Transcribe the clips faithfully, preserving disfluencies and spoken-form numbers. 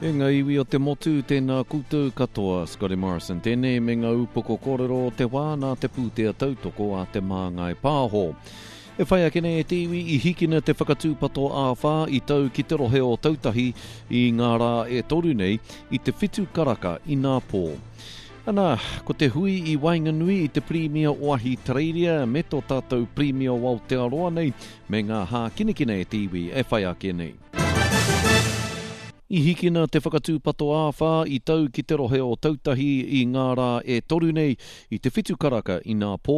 E ngā iwi o te motu, tēnā koutou katoa, Scotty Morrison tēnei me ngā upoko kōrero o te wā nā te pūtea tautoko a Te Māngai Pāho. E whai ake nei e te iwi i hikina te whakatūpato āwhā i tau ki te rohe o Tautahi i ngā rā e toru nei i te whitu karaka inapō. Ana, ko te hui i waenganui i te Pirimia o Ahitereiria me tō tātou Pirimia o Aotearoa nei me ngā hākinakina e te iwi e whai ake nei. I hikina te whakatūpato āwhā i tau ki te rohe o Tautahi i ngā rā e toru nei i te whitu karaka inapō.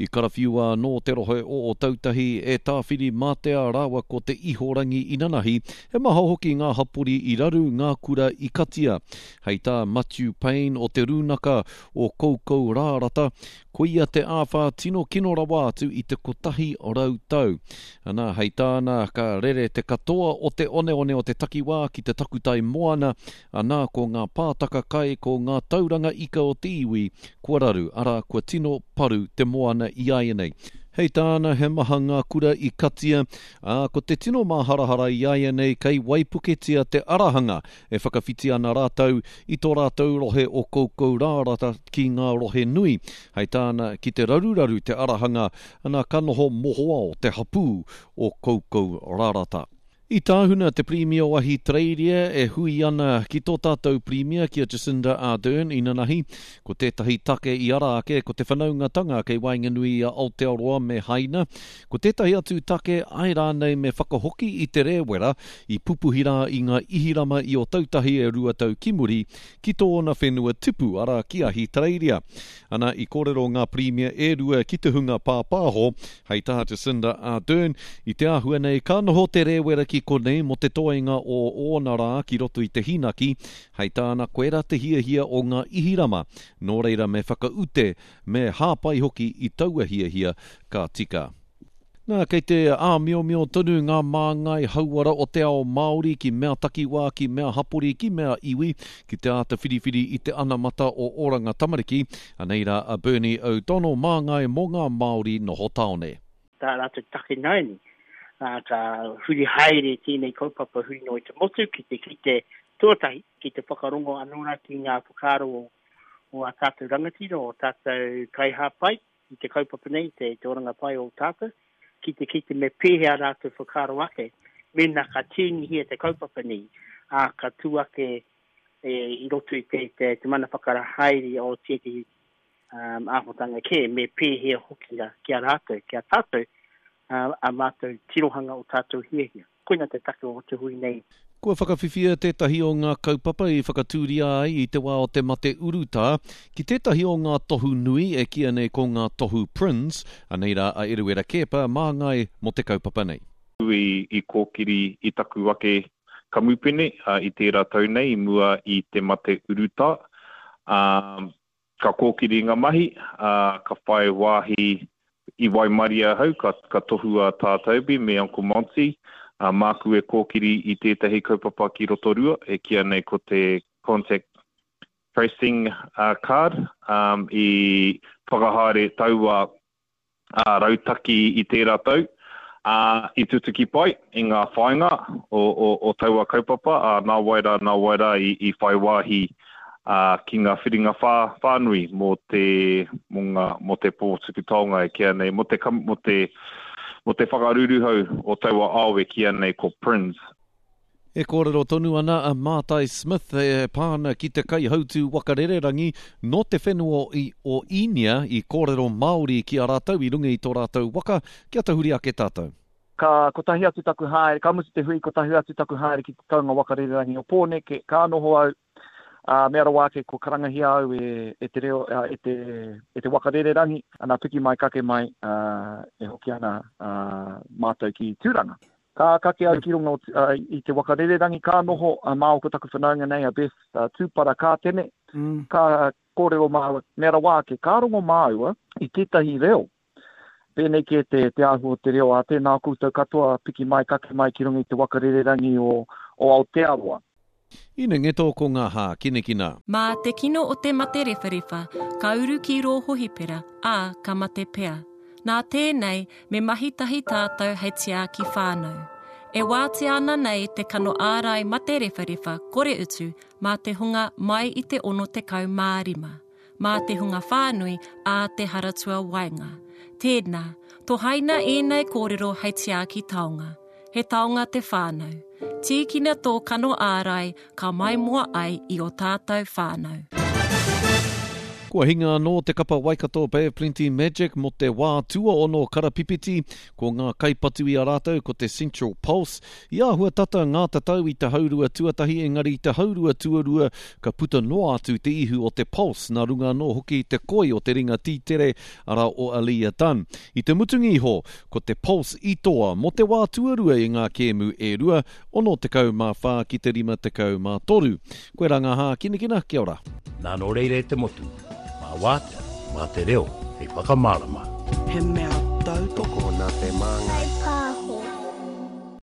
I karawhiua anō te rohe o Ōtautahi e Tāwhirimātea rāua ko Te Ihorangi inanahi, he maha hoki ngā hapori i raru, ngā kura i katia. Hei tā Matiu Payne o Te Rūnaka o Koukourārata, Koia te āwhā tino kino rawa atu i te kotahi rau tau. Ana, hei tāna, ka rere te katoa o te oneone o te takiwā ki te takutai moana, ana, ko ngā pātaka kai, ko ngā tauranga ika o te iwi kua raru, arā, kua tino paru te moana iāianei. Hei tāna, he maha ngā kura i katia, ā, ko te tino māharahara iāianei kei waipuketia te arahanga e whakawhiti ana rātou i tō rātou rohe o Koukourārata ki ngā rohe nui. Hei tāna, ki te raruraru te arahanga, ana ka noho mohoao te hapū o Koukourārata. I tāhuna te Pirimia o Ahitereiria e hui ana ki tō tātou Pirimia ki a Jacinda Ardern inanahi. Ko tētahi take i ara ake ko te whanaungatanga kei waenganui i a Aotearoa me Haina. Ko tētahi atu take āe rānei me whakahoki i te rēwera i pupuhi rā i ngā ihirama i Ōtautahi e rua tau ki muri ki tōna whenua tipu arā ki Ahitereiria. Ana i kōrero ngā Pirimia e rua ki te hunga pāpāho Hei tā Jacinda Ardern, i te āhua nei ka noho te rēwera ki konei mō te toenga o ōna rā ki roto i te hīnaki, hei tāna koirā te hiahia o ngā ihirama, nō reira me whakaute, me hāpai hoki i taua hiahia ka tika. Nā, kei te āmiomio tonu ngā māngai hauora o te ao Māori ki mea takiwā, ki mea hapori, ki mea iwi, ki te āta whiriwhiri i te anamata o Oranga Tamariki. Anei rā a Bernie O'Donnell, māngai mō ngā Māori noho tāone. Tā rātou take nāianei, ā, ka huri haere tēnei kaupapa huri noa i te motu ki te kite tuatahi, ki te whakarongo anō rā ki ngā whakaaro o, o ā tātou rangatira, o tātou kaihāpai i te kaupapa nei, te, te oranga pai o tātou, ki te kite me pēhea rātou whakaaro ake mēnā ka tīnihia te kaupapa nei, ā, ka tū ake e, i roto i te, te, te mana whakarahaere o tētehi um, āhuatanga kē, me pēhea hoki rā ki a rātou, ki a tātou, uh, a mātou tirohanga o tātou hiahia. Koina te take o te hui nei. Kua whakawhiwhia tētahi o ngā kaupapa i whakatūria ai i te wā o te mate urutā ki tētahi o ngā tohu nui e kīia nei ko ngā tohu Prins, anei rā a Eruera Keepa, māngai mō te kaupapa nei. I kōkiri i taku ake kamupene i tērā tau nei i mua i te mate urutā. Ka kōkiri ngā mahi, ka whai wāhi i waimarie ahau, ka, ka tohua Tā Toby me Uncle Monty, māku e kōkiri i tētahi kaupapa ki Rotorua e kīia nei ko te Contact Tracing Card, i whakahaere taua ā-rautaki i tērā tau, ā, i tutuki pai i ngā whāinga o, o, o taua kaupapa, ā, nāwai rā, nāwai rā i, i whai wāhi ā, ki ngā whiringa whā, whānui mō te, mō ngā, mō te pō tuku taonga e kīia nei, mō te, mō te, mō te whakaruruhau o taua ao e kīia nei ko Prinz. E kōrero tonu ana a Mātai Smith e pā ana ki te kaihautū waka rererangi nō te whenua o Īnia i kōrero Māori ki a rātou i runga i tō rātou waka, kia tahuri ake tātou. Ka kotahi atu taku haere, ka mutu te hui, kotahi atu taku haere ki te taunga waka rererangi o Pōneke, ka noho au, ā, mea rawa ake kua karangahia au e, e te reo, e te, e te waka rererangi, ana piki mai kake mai, ā, e hoki ana, ā, mātou ki Tūranga. Ka kake au ki runga i te waka rererangi, ka noho māua ko taku whanaunga nei a Beth Tūpara Kātene, ka kōrero māua, mea rawa ake, ka rongo māua i tētahi reo, pēnei kē te, te āhua o te reo, ā, tēnā koutou katoa, piki mai, kake mai ki runga i te waka rererangi o, o Aotearoa. Ine ngeto ko ngā hākinakina. Mā te kino o te mate rewharewha, ka uru ki rō hohipera, ā, ka mate pea. Nā tēnei, me mahi tahi tātou hei tiaki whānau. E wātea ana nei te kano ārai mate rewharewha kore utu mā te hunga mai i te ono tekau mā rima, mā te hunga whānui a te haratua waenga. Tēnā, tohaina ēnei kōrero hei tiaki taonga. He taonga te whānau. Tīkina tō kano ārai ka maimoa ai i o tātou whānau. Kua hinga anō te kapa Waikato Bay of Plenty Magic mō te wā tuaono karapipiti, ko ngā kaipatu i a rātou ko te Central Pulse. I āhua tata ngā tatau i te haurua tuatahi, engari i te haurua tuarua ka puta noa atu te ihu o te Pulse, nā runga anō hoki te koi o te ringa tītere, arā o Aliyah Dunn. I te mutunga iho, ko te Pulse i toa mō te wā tuarua i ngā kēmu e rua, ono tekau mā whā ki te rima tekau mā toru. Koe rā ngā hākinakina, kia ora. Nā nō reira e te motu, mā wātea, mā te reo, hei whakamārama. He mea tautoko nā Te Māngai.